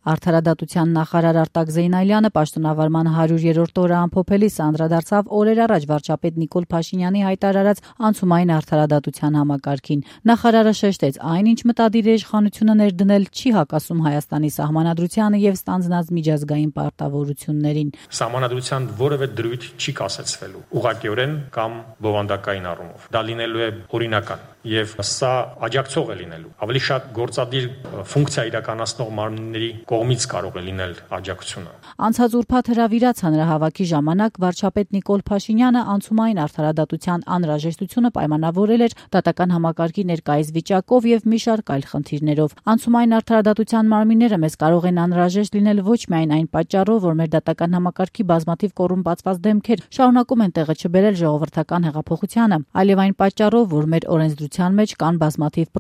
Արդարադատության նախարար Արտակ Զեյնալյանը պաշտոնավարման 100-րդ օրը ամփոփելիս անդրադարձավ օրեր առաջ վարչապետ Նիկոլ Փաշինյանի հայտարարած անցումային արդարադատության համակարգին։ Նախարարը շեշտեց, այնինչ մտադիր է իշխանությունը ներդնել, չի հակասում Հայաստանի սահմանադրությանը եւ ստանձնած միջազգային պարտավորություններին։ Սահմանադրության որևէ դրույթ չի կասեցվելու ուղղակիորեն կամ բովանդակային առումով։ Դա լինելու է օրինական եւ սա աջակցող է լինելու։ Ավելի շատ գործադիր ֆունկցիա իրականացնող մարմինների կողմից կարող է լինել աջակցությունը։ Անցած ուրբաթ հրավիրած հանրահավաքի ժամանակ վարչապետ Նիկոլ Փաշինյանը անցումային արդարադատության անհրաժեշտությունը պայմանավորել էր դատական համակարգի ներկայիս վիճակով եւ մի շարք այլ խնդիրներով։ Անցումային արդարադատության մարմինները մեզ կարող են անհրաժեշտ լինել ոչ միայն այն պատճառով, որ մեր դատական համակարգի բազմաթիվ կոռումպացված դեմքեր շարունակում են տեղը չբերել ժողովրդական հեղափոխությանը, այլև այն պատճառով, որ մեր օրենսդրության մեջ կան բազմաթիվ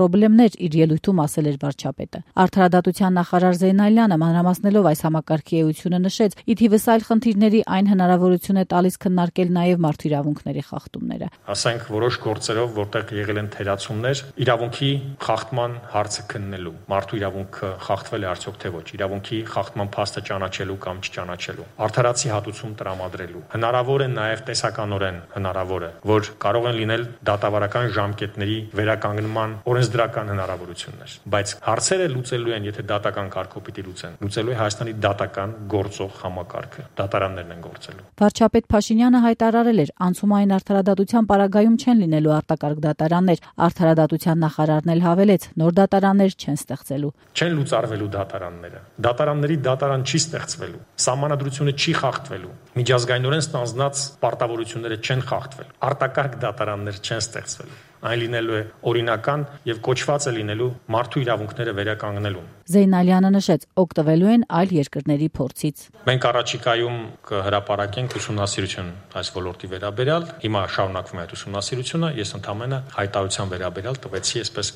խնդիրներ, իր ելույթում ասել էր վարչապետը։ Արդարադատության նախարար Զեյնալյանը մանրամասնելով այս համակարգի էությունը նշեց, ի թիվս այլ խնդիրների այն հնարավորություն է տալիս քննարկել նաև մարդու իրավունքների խախտումները։ Ասենք որոշ գործերով, որտեղ եղել են թերացումներ, իրավունքի խախտման հարցը քննելու, մարդու իրավունքը խախտվել է արդյոք թե ոչ, իրավունքի խախտման փաստը ճանաչելու կամ չճանաչելու, արդարացի հատուցում տրամադրելու։ Հնարավոր է նաև տեսականորեն հնարավոր է, որ կարող են լինել դատավարական ժամկետների վերականգնման օրենսդրական հնարավորություններ, բայց հարցերը լուծելու են, եթե դատական կարգով պիտի լուծեն, լուծելու է Հայաստանի դատական գործող համակարգը, դատարաններն են գործելու։ Վարչապետ Փաշինյանը հայտարարել էր, անցումային արդարադատության պարագայում չեն լինելու արտակարգ դատարաններ, արդարադատության նախարարն էլ հավելեց, նոր դատարաններ չեն ստեղծելու։ Չեն լուծարվելու դատարանները, դատարանների դատարան չի ստեղծվելու, սահմանադրությունը չի խախտվելու, միջազգայինորեն ստանձնած պարտավորությունները չեն խախտվելու, արտակարգ դատարաններ չեն ստեղծվելու, այն լինելու է օրինական եւ կոչված է լինելու մարդու իրավունքները վերականգնելու։ Զեյնալյանը նշեց, օգտվելու են այլ երկրների փորձից։ Մենք առաջիկայում կհրապարակենք ուսումնասիրություն այս ոլորտի վերաբերյալ։ Հիմա շարունակվում է այդ ուսումնասիրությունը, ես ընդհանրապես հայտարարության վերաբերյալ տվեցի այսպես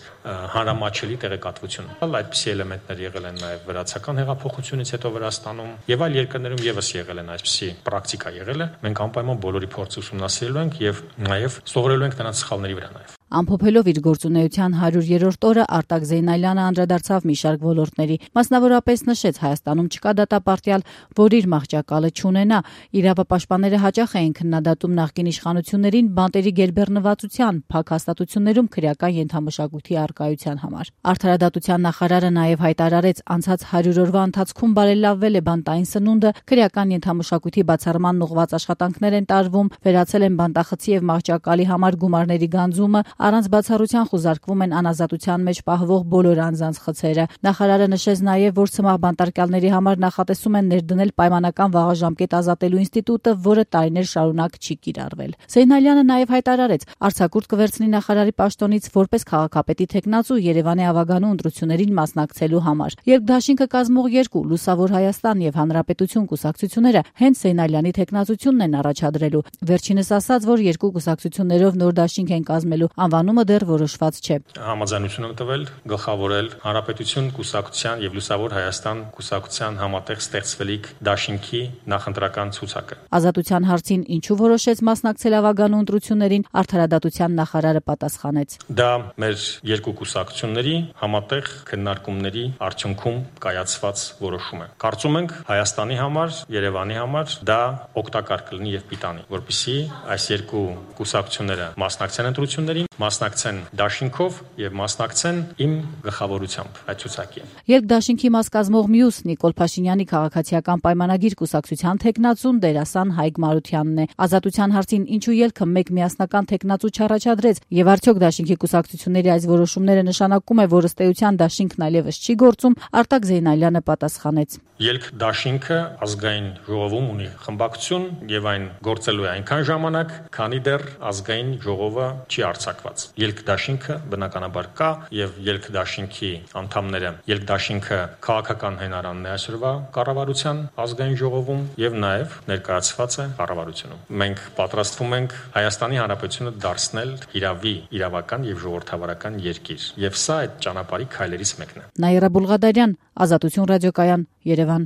հանրամատչելի տեղեկատվություն։ Այդպիսի էլեմենտներ եղել են նաեւ վրացական հեղափոխությունից հետո Վրաստանում եւ այլ երկրներում եւս եղել են այսպիսի պրակտիկա եղել է։ Մենք անպայման բոլորի փորձը ուսումնասիրելու ենք եւ նաեւ սովորելու ենք նրանց սխալների վրա նաեւ։ Ամփոփելով իր գործունեության 100-րդ օրը Արտակ Զեյնալյանը անդրադարձավ մի շարք ոլորտների, մասնավորապես նշեց Հայաստանում չկա դատապարտյալ, որ իր մահճակալը չունենա, իրավապաշտպանները հաճախ էին քննադատում նախկին իշխանություններին բանտերի գերբեռնվածության, փակ հաստատություններում քրեական ենթամշակույթի առկայության համար։ Արդարադատության նախարարը նաև հայտարարեց, անցած 100 օրվա ընթացքում բարելավվել է բանտային սնունդը, քրեական ենթամշակույթի բացառման ուղղված աշխատանքներ են տարվում, վերացել են բանտախցի եւ մահճակալի համար գումարների գանձումը, առանց բացառության խուզարկվում են անազատության մեջ պահվող բոլոր անձանց խցերը։ Նախարարը նշեց նաև, որ սմաղ բանտարկյալների համար նախատեսում են ներդնել պայմանական վաղաժամկետ ազատելու ինստիտուտը, որը տարիներ շարունակ չի կիրառվել։ Զեյնալյանը նաև հայտարարեց, արձակուրդ կվերցնի նախարարի պաշտոնից որպես քաղաքապետի թեկնածու Երևանի ավագանու ընտրություններին մասնակցելու համար։ Երկդաշինքը կազմող երկու Լուսավոր Հայաստան եւ Հանրապետություն կուսակցությունները հենց Զեյնալյանի թեկնածությունն են առաջադրելու։ Վերջինս ասաց, որ երկու կուսակցություններով նոր դաշինք են կազմելու, անվանումը դեռ որոշված չէ։ Համաձայնություն են տվել գլխավորել Հանրապետություն կուսակցության եւ Լուսավոր Հայաստան կուսակցության համատեղ ստեղծվելիք դաշինքի նախընտրական ցուցակը։ Ազատության հարցին ինչու որոշեց մասնակցել ավագանու ընտրություններին, արդարադատության նախարարը պատասխանեց։ Դա մեր երկու կուսակցությունների համատեղ քննարկումների արդյունքում կայացված որոշում է։ Կարծում ենք Հայաստանի համար, Երևանի համար դա օգտակար կլինի եւ պիտանի, որպեսզի այս երկու կուսակցությունները մասնակցեն ընտրություններին, մասնակցեն դաշինքով եւ մասնակցեն իմ գլխավորությամբ այդ ցուցակին։ Երկդաշինքի մաս կազմող մյուս Նիկոլ Փաշինյանի քաղաքացիական պայմանագիր կուսակցության թեկնածուն դերասան Հայկ Մարությանն է։ Ազատության հարցին ինչու ելքը մեկ միասնական թեկնածու չառաջադրեց եւ արդյոք դաշինքի կուսակցությունների այս որոշումները նշանակում է, որ ըստ էության դաշինքն այլևս չի գործում, Արտակ Զեյնալյանը պատասխանեց։ Ելք դաշինքը ազգային ժողովում ունի խմբակցություն եւ այն գործելու է այնքան ժամանակ, քանի դեռ ազգային ժողովը չի արձակված։ Ելք դաշինքը բնականաբար կա եւ ելք դաշինքի անդամները, ելք դաշինքը քաղաքական հենարանն է այսօրվա կառավարության ազգային ժողովում եւ նաեւ ներկայացված է կառավարությունում։ Մենք պատրաստվում ենք Հայաստանի Հանրապետությունը դարձնել իրավի, իրավական եւ ժողովրդավարական երկիր եւ սա այդ ճանապարհի քայլերից մեկն է։ Նաիրա Բուլղադարյան, Ազատություն ռադիոկայան, Երևան։